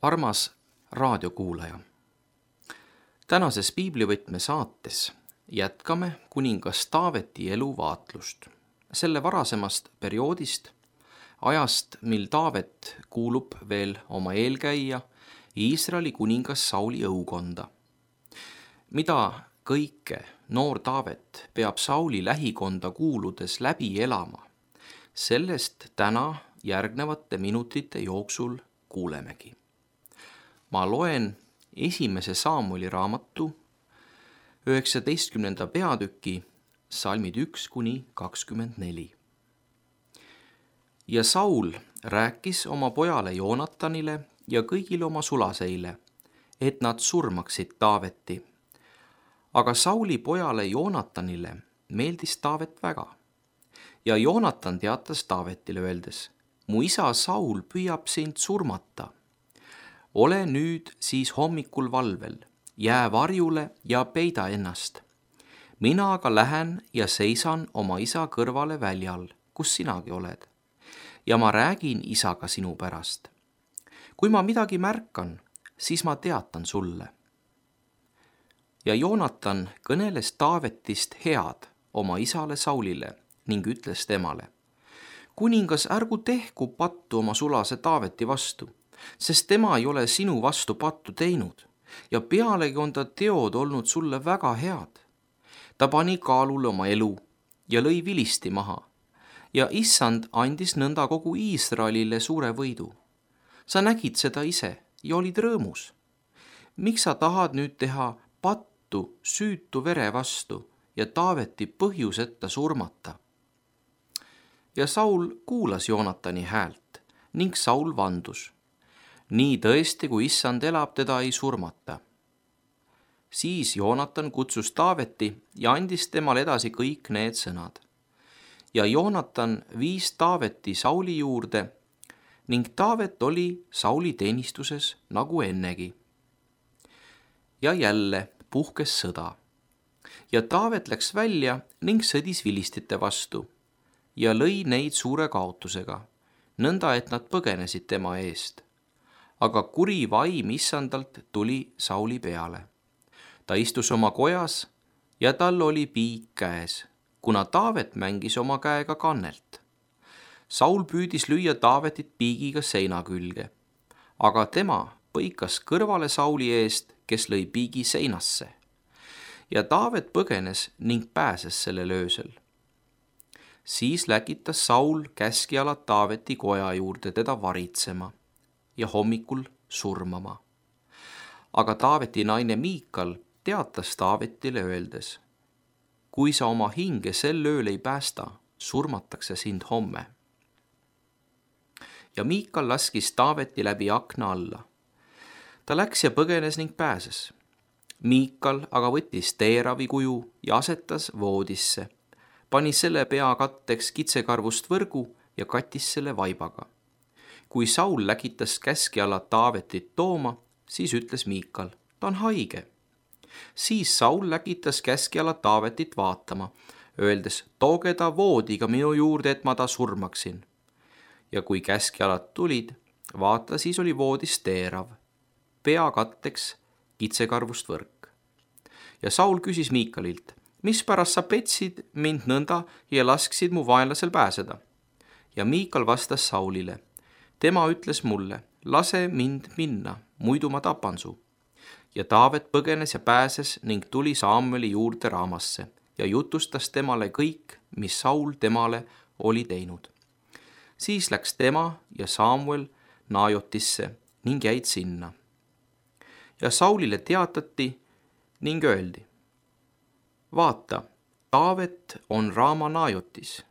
Armas raadiokuulaja, tänases piiblivõtme saates jätkame kuningas Taaveti elu vaatlust. Selle varasemast perioodist, ajast, mil Taavet kuulub veel oma eelkäija Iisraeli kuningas Sauli õukonda. Mida kõike noor Taavet peab Sauli lähikonda kuuludes läbi elama, sellest täna järgnevate minutite jooksul kuulemegi. Ma loen 1. Saamueli raamatu 19. peatüki salmid 1-24. Ja Saul rääkis oma pojale Joonatanile ja kõigile oma sulaseile, et nad surmaksid Taaveti. Aga Sauli pojale Joonatanile meeldis Taavet väga. Ja Joonatan teatas Taavetile öeldes, mu isa Saul püüab sind surmata. Ole nüüd siis hommikul valvel, jää varjule ja peida ennast. Mina aga lähen ja seisan oma isa kõrvale väljal, kus sinagi oled. Ja ma räägin isaga sinu pärast. Kui ma midagi märkan, siis ma teatan sulle. Ja Joonatan kõneles Taavetist head oma isale Saulile ning ütles temale, kuningas, ärgu tehku pattu oma sulase Taaveti vastu, sest tema ei ole sinu vastu pattu teinud ja pealegi on ta teod olnud sulle väga head. Ta pani kaalule oma elu ja lõi vilisti maha ja issand andis nõnda kogu Iisraelile suure võidu. Sa nägid seda ise ja olid rõõmus. Miks sa tahad nüüd teha pattu süütu vere vastu ja Taaveti põhjuseta surmata? Ja Saul kuulas Joonatani häält ning Saul vandus. Nii tõesti, kui issand elab, teda ei surmata. Siis Joonatan kutsus Taaveti ja andis temale edasi kõik need sõnad. Ja Joonatan viis Taaveti Sauli juurde ning Taavet oli Sauli teenistuses nagu ennegi. Ja jälle puhkes sõda. Ja Taavet läks välja ning sõdis vilistite vastu ja lõi neid suure kaotusega, nõnda et nad põgenesid tema eest. Aga kuri vaim issandalt tuli Sauli peale. Ta istus oma kojas ja tal oli piik käes, kuna Taavet mängis oma käega kannelt. Saul püüdis lüüa Taavetit piigiga seina külge, aga tema põikas kõrvale Sauli eest, kes lõi piigi seinasse. Ja Taavet põgenes ning pääses sellel öösel. Siis läkitas Saul käskjalad Taaveti koja juurde teda varitsema ja hommikul surmama. Aga Taaveti naine Miikal teatas Taavetile öeldes, kui sa oma hinge sel ööl ei päästa, surmatakse sind homme. Ja Miikal laskis Taaveti läbi akna alla. Ta läks ja põgenes ning pääses. Miikal aga võttis teeravi kuju ja asetas voodisse, pani selle pea katteks kitsekarvust võrgu ja kattis selle vaibaga. Kui Saul läkitas käskjalad Taavetit tooma, siis ütles Miikal, ta on haige. Siis Saul läkitas käskjalad Taavetit vaatama, öeldes, tooge ta voodiga minu juurde, et ma ta surmaksin. Ja kui käskjalad tulid, vaata, siis oli voodis teerav, pea katteks kitsekarvust võrk. Ja Saul küsis Miikalilt, mispärast sa petsid mind nõnda ja lasksid mu vaenlasel pääseda? Ja Miikal vastas Saulile, tema ütles mulle, lase mind minna, muidu ma tapan su. Ja Taavet põgenes ja pääses ning tuli Saamueli juurde Raamasse ja jutustas temale kõik, mis Saul temale oli teinud. Siis läks tema ja Saamuel Naajotisse ning jäid sinna. Ja Saulile teatati ning öeldi, vaata, Taavet on Raama Naajotis.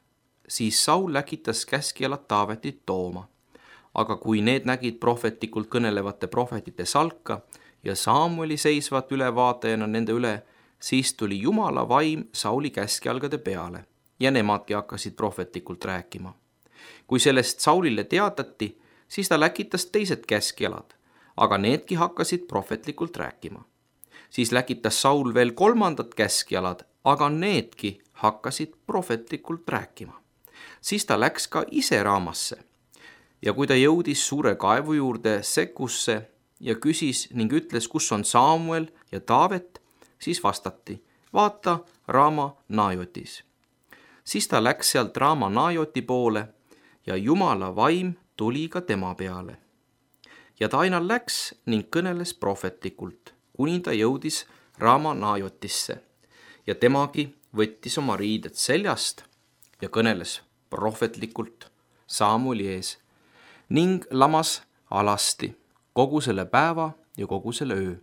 Siis Saul läkitas käskjalad Taavetit tooma. Aga kui need nägid prohvetlikult kõnelevate prohvetite salka ja Saamueli seisvat ülevaatajana nende üle, siis tuli Jumala vaim Sauli käskjalgade peale ja nemadki hakkasid prohvetlikult rääkima. Kui sellest Saulile teatati, siis ta läkitas teised käskjalad, aga needki hakkasid prohvetlikult rääkima. Siis läkitas Saul veel kolmandat käskjalad, aga needki hakkasid prohvetlikult rääkima. Siis ta läks ka ise Raamasse. Ja kui ta jõudis suure kaevu juurde Sekusse, ja küsis ning ütles, kus on Samuel ja Taavet, siis vastati, vaata Raama Naajotis. Siis ta läks sealt Raama Naajoti poole ja Jumala vaim tuli ka tema peale. Ja ta aina läks ning kõneles prohvetlikult, kuni ta jõudis Raama Naajotisse ja temagi võttis oma riided seljast ja kõneles prohvetlikult Samueli ees ning lamas alasti kogu selle päeva ja kogu selle öö.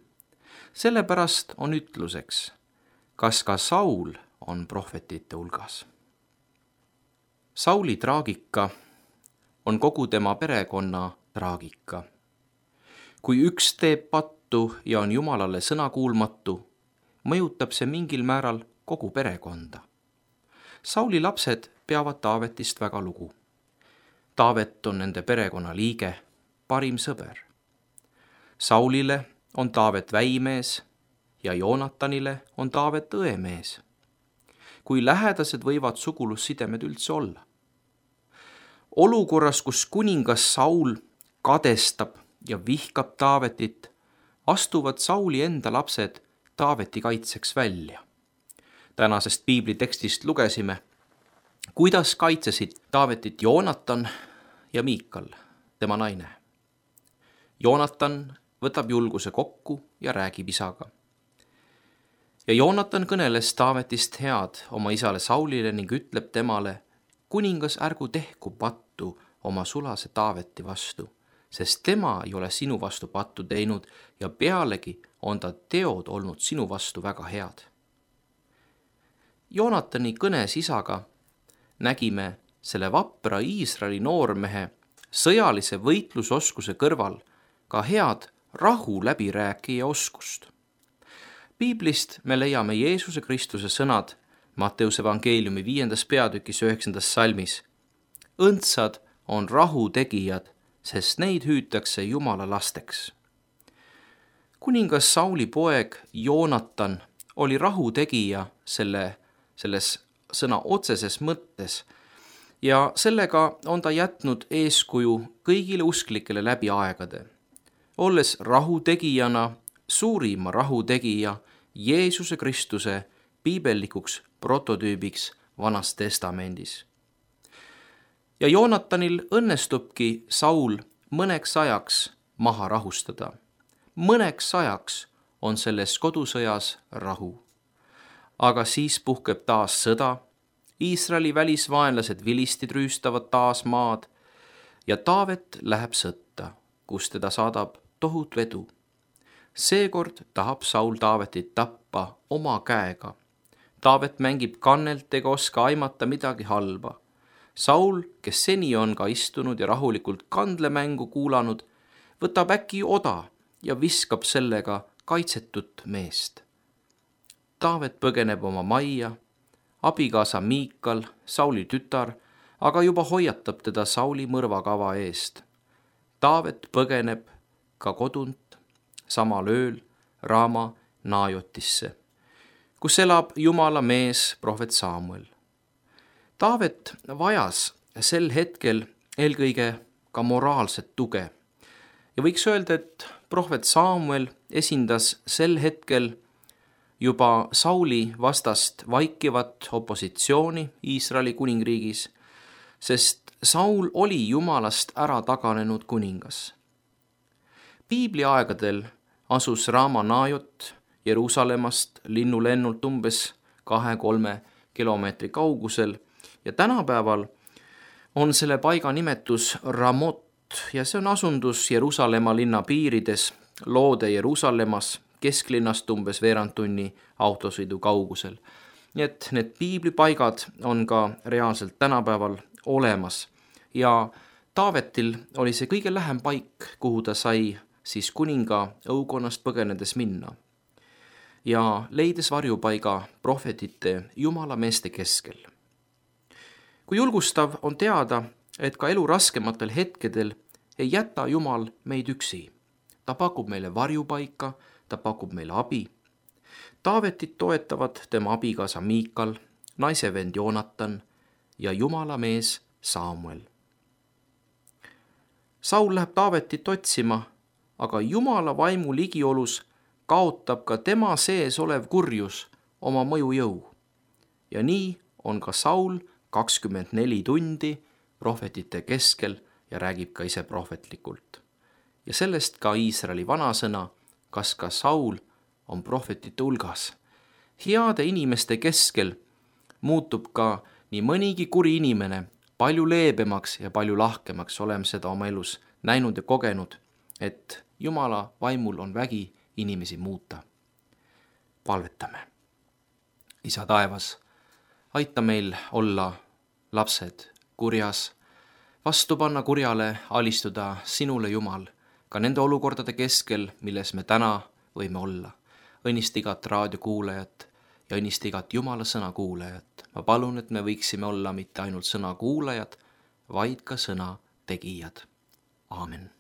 Sellepärast on ütluseks, kas ka Saul on prohvetite hulgas. Sauli traagika on kogu tema perekonna traagika. Kui üks teeb pattu ja on Jumalale sõnakuulmatu, mõjutab see mingil määral kogu perekonda. Sauli lapsed peavad Taavetist väga lugu. Taavet on nende perekonna liige, parim sõber. Saulile on Taavet väimees ja Joonatanile on Taavet õemees. Kui lähedased võivad sugulussidemed üldse olla? Olukorras, kus kuningas Saul kadestab ja vihkab Taavetit, astuvad Sauli enda lapsed Taaveti kaitseks välja. Tänasest piiblitekstist lugesime, kuidas kaitsesid Taavetit Joonatan ja Miikal, tema naine. Joonatan võtab julguse kokku ja räägib isaga. Ja Joonatan kõneles Taavetist head oma isale Saulile ning ütleb temale, kuningas ärgu tehku pattu oma sulase Taaveti vastu, sest tema ei ole sinu vastu pattu teinud ja pealegi on ta teod olnud sinu vastu väga head. Joonatani kõnes isaga nägime selle vapra Iisraeli noormehe sõjalise võitlusoskuse kõrval ka head rahu läbirääkija oskust. Piiblist me leiame Jeesuse Kristuse sõnad Matteuse evangeeliumi 5. peatükis 9. salmis. Õndsad on rahu tegijad, sest neid hüütakse Jumala lasteks. Kuningas Sauli poeg Joonatan oli rahutegija selles sõna otseses mõttes ja sellega on ta jätnud eeskuju kõigile usklikele läbi aegade, olles rahutegijana suurima rahutegija Jeesuse Kristuse piibellikuks prototüübiks Vanas Testamendis. Ja Joonatanil õnnestubki Saul mõneks ajaks maha rahustada. Mõneks ajaks on selles kodusõjas rahu. Aga siis puhkeb taas sõda, Iisraeli välisvaenlased vilistid rüüstavad taas maad ja Taavet läheb sõtta, kus teda saadab tohutu edu. Seekord tahab Saul Taavetit tappa oma käega. Taavet mängib kannelt ega oska aimata midagi halba. Saul, kes seni on ka istunud ja rahulikult kandlemängu kuulanud, võtab äkki oda ja viskab sellega kaitsetut meest. Taavet põgeneb oma majja, abikaasa Miikal, Sauli tütar, aga juba hoiatab teda Sauli mõrvakava eest. Taavet põgeneb ka kodunt samal ööl Raama Naajotisse, kus elab Jumala mees prohvet Samuel. Taavet vajas sel hetkel eelkõige ka moraalset tuge ja võiks öelda, et prohvet Samuel esindas sel hetkel juba Sauli vastast vaikivat opositsiooni Iisraeli kuningriigis, sest Saul oli Jumalast ära taganenud kuningas. Piibli aegadel asus Raama Naajot Jeruusalemmast linnulennult umbes 2-3 kilomeetri kaugusel ja tänapäeval on selle paiga nimetus Ramot ja see on asundus Jeruusalemma linna piirides Loode Jeruusalemmas kesklinnast umbes veerand tunni autosõidu kaugusel. Nii et need piiblipaigad on ka reaalselt tänapäeval olemas ja Taavetil oli see kõige lähem paik, kuhu ta sai siis kuninga õukonnast põgenedes minna ja leides varjupaiga prohvetite Jumala meeste keskel. Kui julgustav on teada, et ka elu raskematel hetkedel ei jäta Jumal meid üksi. Ta pakub meile varjupaika, ta pakub meile abi. Taavetit toetavad tema abikaasa Miikal, naisevend Joonatan ja Jumala mees Samuel. Saul läheb Taavetit otsima, aga Jumala vaimu ligiolus kaotab ka tema sees olev kurjus oma mõjujõu. Ja nii on ka Saul 24 tundi prohvetite keskel ja räägib ka ise prohvetlikult. Ja sellest ka Iisraeli vanasõna, kas ka Saul on prohvetite hulgas. Heade inimeste keskel muutub ka nii mõnigi kuri inimene palju leebemaks ja palju lahkemaks. Oleme seda oma elus näinud ja kogenud, et Jumala vaimul on vägi inimesi muuta. Palvetame. Isa taevas, aita meil olla lapsed kurjas, vastu panna kurjale, alistuda sinule, Jumal, ka nende olukordade keskel, milles me täna võime olla. Õnnista igat raadiokuulajat ja õnnista igat Jumala sõna kuulajat. Ma palun, et me võiksime olla mitte ainult sõna kuulajad, vaid ka sõna tegijad. Aamen.